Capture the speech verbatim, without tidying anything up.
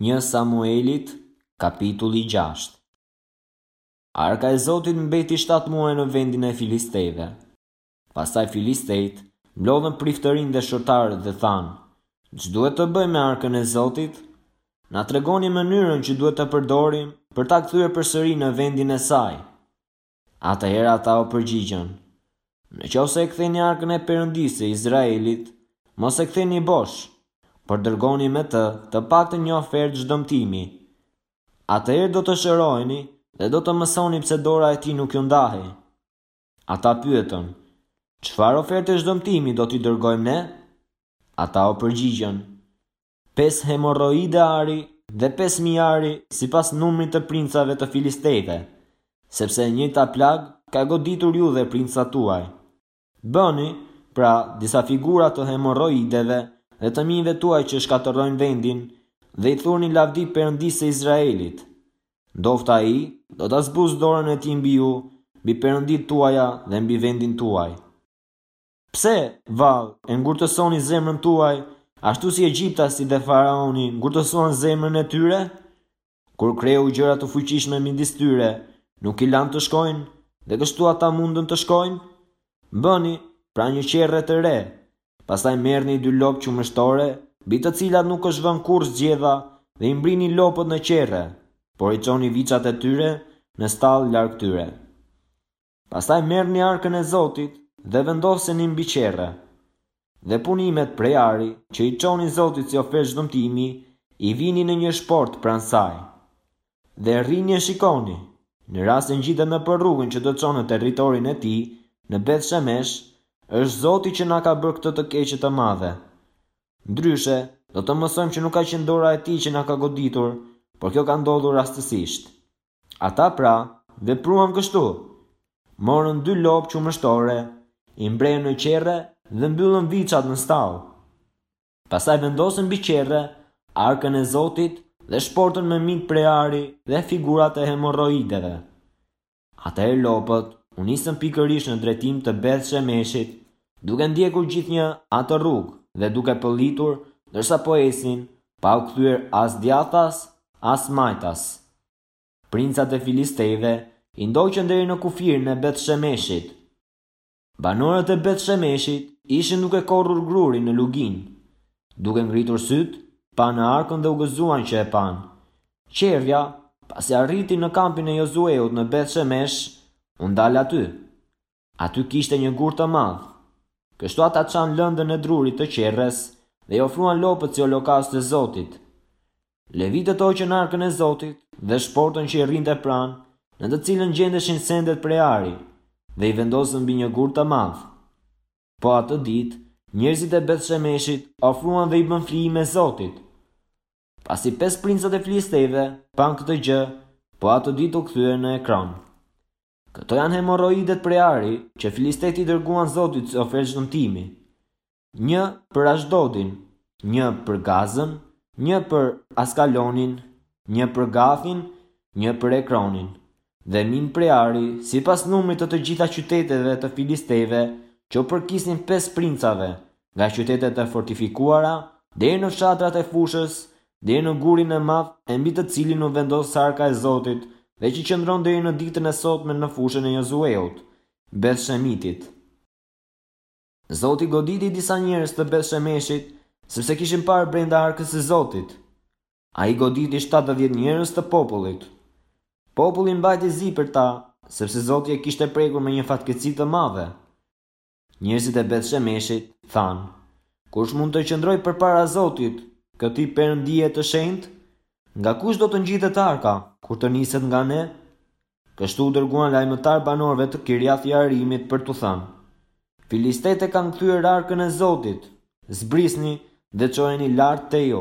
Një Samuelit, kapitulli gjashtë. Arka e Zotit mbeti shtatë muaj në vendin e Filistejve. Pastaj Filistejt mblodhën priftërinj dhe shortarët dhe thanë: Ç'duhet të bëjmë me arkën e Zotit? Na tregoni mënyrën që duhet të përdorim për ta kthyer përsëri në vendin e saj. Atëherë ata u përgjigjën: Në qoftë se e ktheni arkën e Perëndisë së Izraelit, mos e ktheni bosh, por dërgoni me të të paktën një ofertë zhdëmtimi. Atëherë do të shëroheni dhe do të mësoni pse dora e tij nuk ju ndahej. Ata pyetën: Çfarë oferte zhdëmtimi do t'i dërgojmë ne? Ata u përgjigjën: Pesë hemorroide ari dhe pesë mijë ari sipas numrit të princave të Filistejve, sepse e njëjta plagë ka goditur ju dhe princat tuaj. Bëni, pra, disa figura të hemorroideve dhe të minjve tuaj që shkatërrojnë vendin dhe i thurni lavdi Perëndisë së Izraelit. Ndofta ai do ta zbus dorën e tij mbi ju, mbi perënditë tuaja dhe mbi vendin tuaj. Pse, vallë, e ngurtësoni zemrën tuaj, ashtu si Egjiptasit dhe faraoni ngurtësuan zemrën e tyre? Kur kreu gjëra të fuqishme midis tyre, nuk i lanë të shkojnë, dhe kështu ata mundën të shkojnë? Bëni, pra, një qerre të re, pastaj merrni dy lopë qumështore, mbi të cilat nuk është vënë kurrë zgjedha, dhe i mbrini lopët në qerre, por i çoni viçat e tyre në stallë larg tyre. Pastaj merrni arkën e Zotit dhe vendoseni mbi qerre. Dhe punimet prej ari që i çoni Zotit si ofertë zhdëmtimi, i vini në një shport pranë saj. Dhe rrini e shikoni, në rast se ngjitet nëpër rrugën që do çon në territorin e tij, në Beth Shemesh, është Zoti që na ka bërë këtë të keqe të madhe. Ndryshe, do të mësojmë që nuk ka qenë dora e tij që na ka goditur, por kjo ka ndodhur rastësisht. Ata pra, vepruan kështu. Morën dy lopë qumështore, i mbrehën në qerre dhe mbyllën viçat në stallë. Pastaj vendosën mbi qerre arkën e Zotit dhe shportën me mit prej ari dhe figurat e hemorroideve. Atëherë lopët u nisën pikërisht në drejtim të Beth Shemeshit, duke ndjekur gjithnjë atë rrugë dhe duke pëllitur ndërsa po ecnin, pa u kthyer as djathtas, as majtas. Princat e Filistejve i ndoqën deri në kufirin e Beth Shemeshit. Banorët e Beth Shemeshit ishin duke korrur grurin në luginë. Duke ngritur syt, panë arkën dhe u gëzuan që e panë. Qerrja, pasi arriti në kampin e Jozueut në Beth Shemesh, u ndal aty. Aty kishte një gur të madh. Kështu ata çanë lëndën e drurit të qerres dhe i ofruan lopët si holokaust të Zotit. Levitët hoqën arkën e Zotit dhe shportën që i rrinte pranë, në të cilën gjendeshin sendet prej ari, dhe i vendosën mbi një gur të madh. Po atë ditë, njerëzit e Beth Shemeshit ofruan dhe i bën flijime Zotit. Pasi pesë princat e Filistejve panë këtë gjë, po atë ditë u kthyen në Ekron. Këto janë hemorroidet prej ari që Filistejt i dërguan Zotit si ofertë zhdëmtimi. Një për Ashdodin, një për Gazën, një për Askalonin, një për Gathin, një për Ekronin, dhe min prej ari, sipas numrit të të gjitha qyteteve të Filistejve që u përkisnin pesë princave, nga qytetet e fortifikuara deri në fshatrat e fushës, deri në gurin e madh e mbi të cilin u vendos arka e Zotit dhe që qëndron deri në ditën e sotme në fushën e Jozueut, Beth Shemitit. Zoti goditi disa njerëz të Beth Shemeshit, sepse kishin parë brenda arkës së Zotit. Ai goditi shtatëdhjetë njerëz të popullit. Populli mbajti zi për ta, sepse Zoti e kishte prekur me një fatkeqësi të madhe. Njerëzit e Beth Shemeshit thanë: Kush mund të qëndrojë përpara Zotit, këtij perëndie të shenjtë? Nga kush do të ngjitet arka, kur të niset nga ne? Kështu u dërguan lajmëtar banorëve të Kirjath Jearimit për t'u thënë: Filistejt e kanë kthyer arkën e Zotit, zbrisni dhe çojeni lart te ju.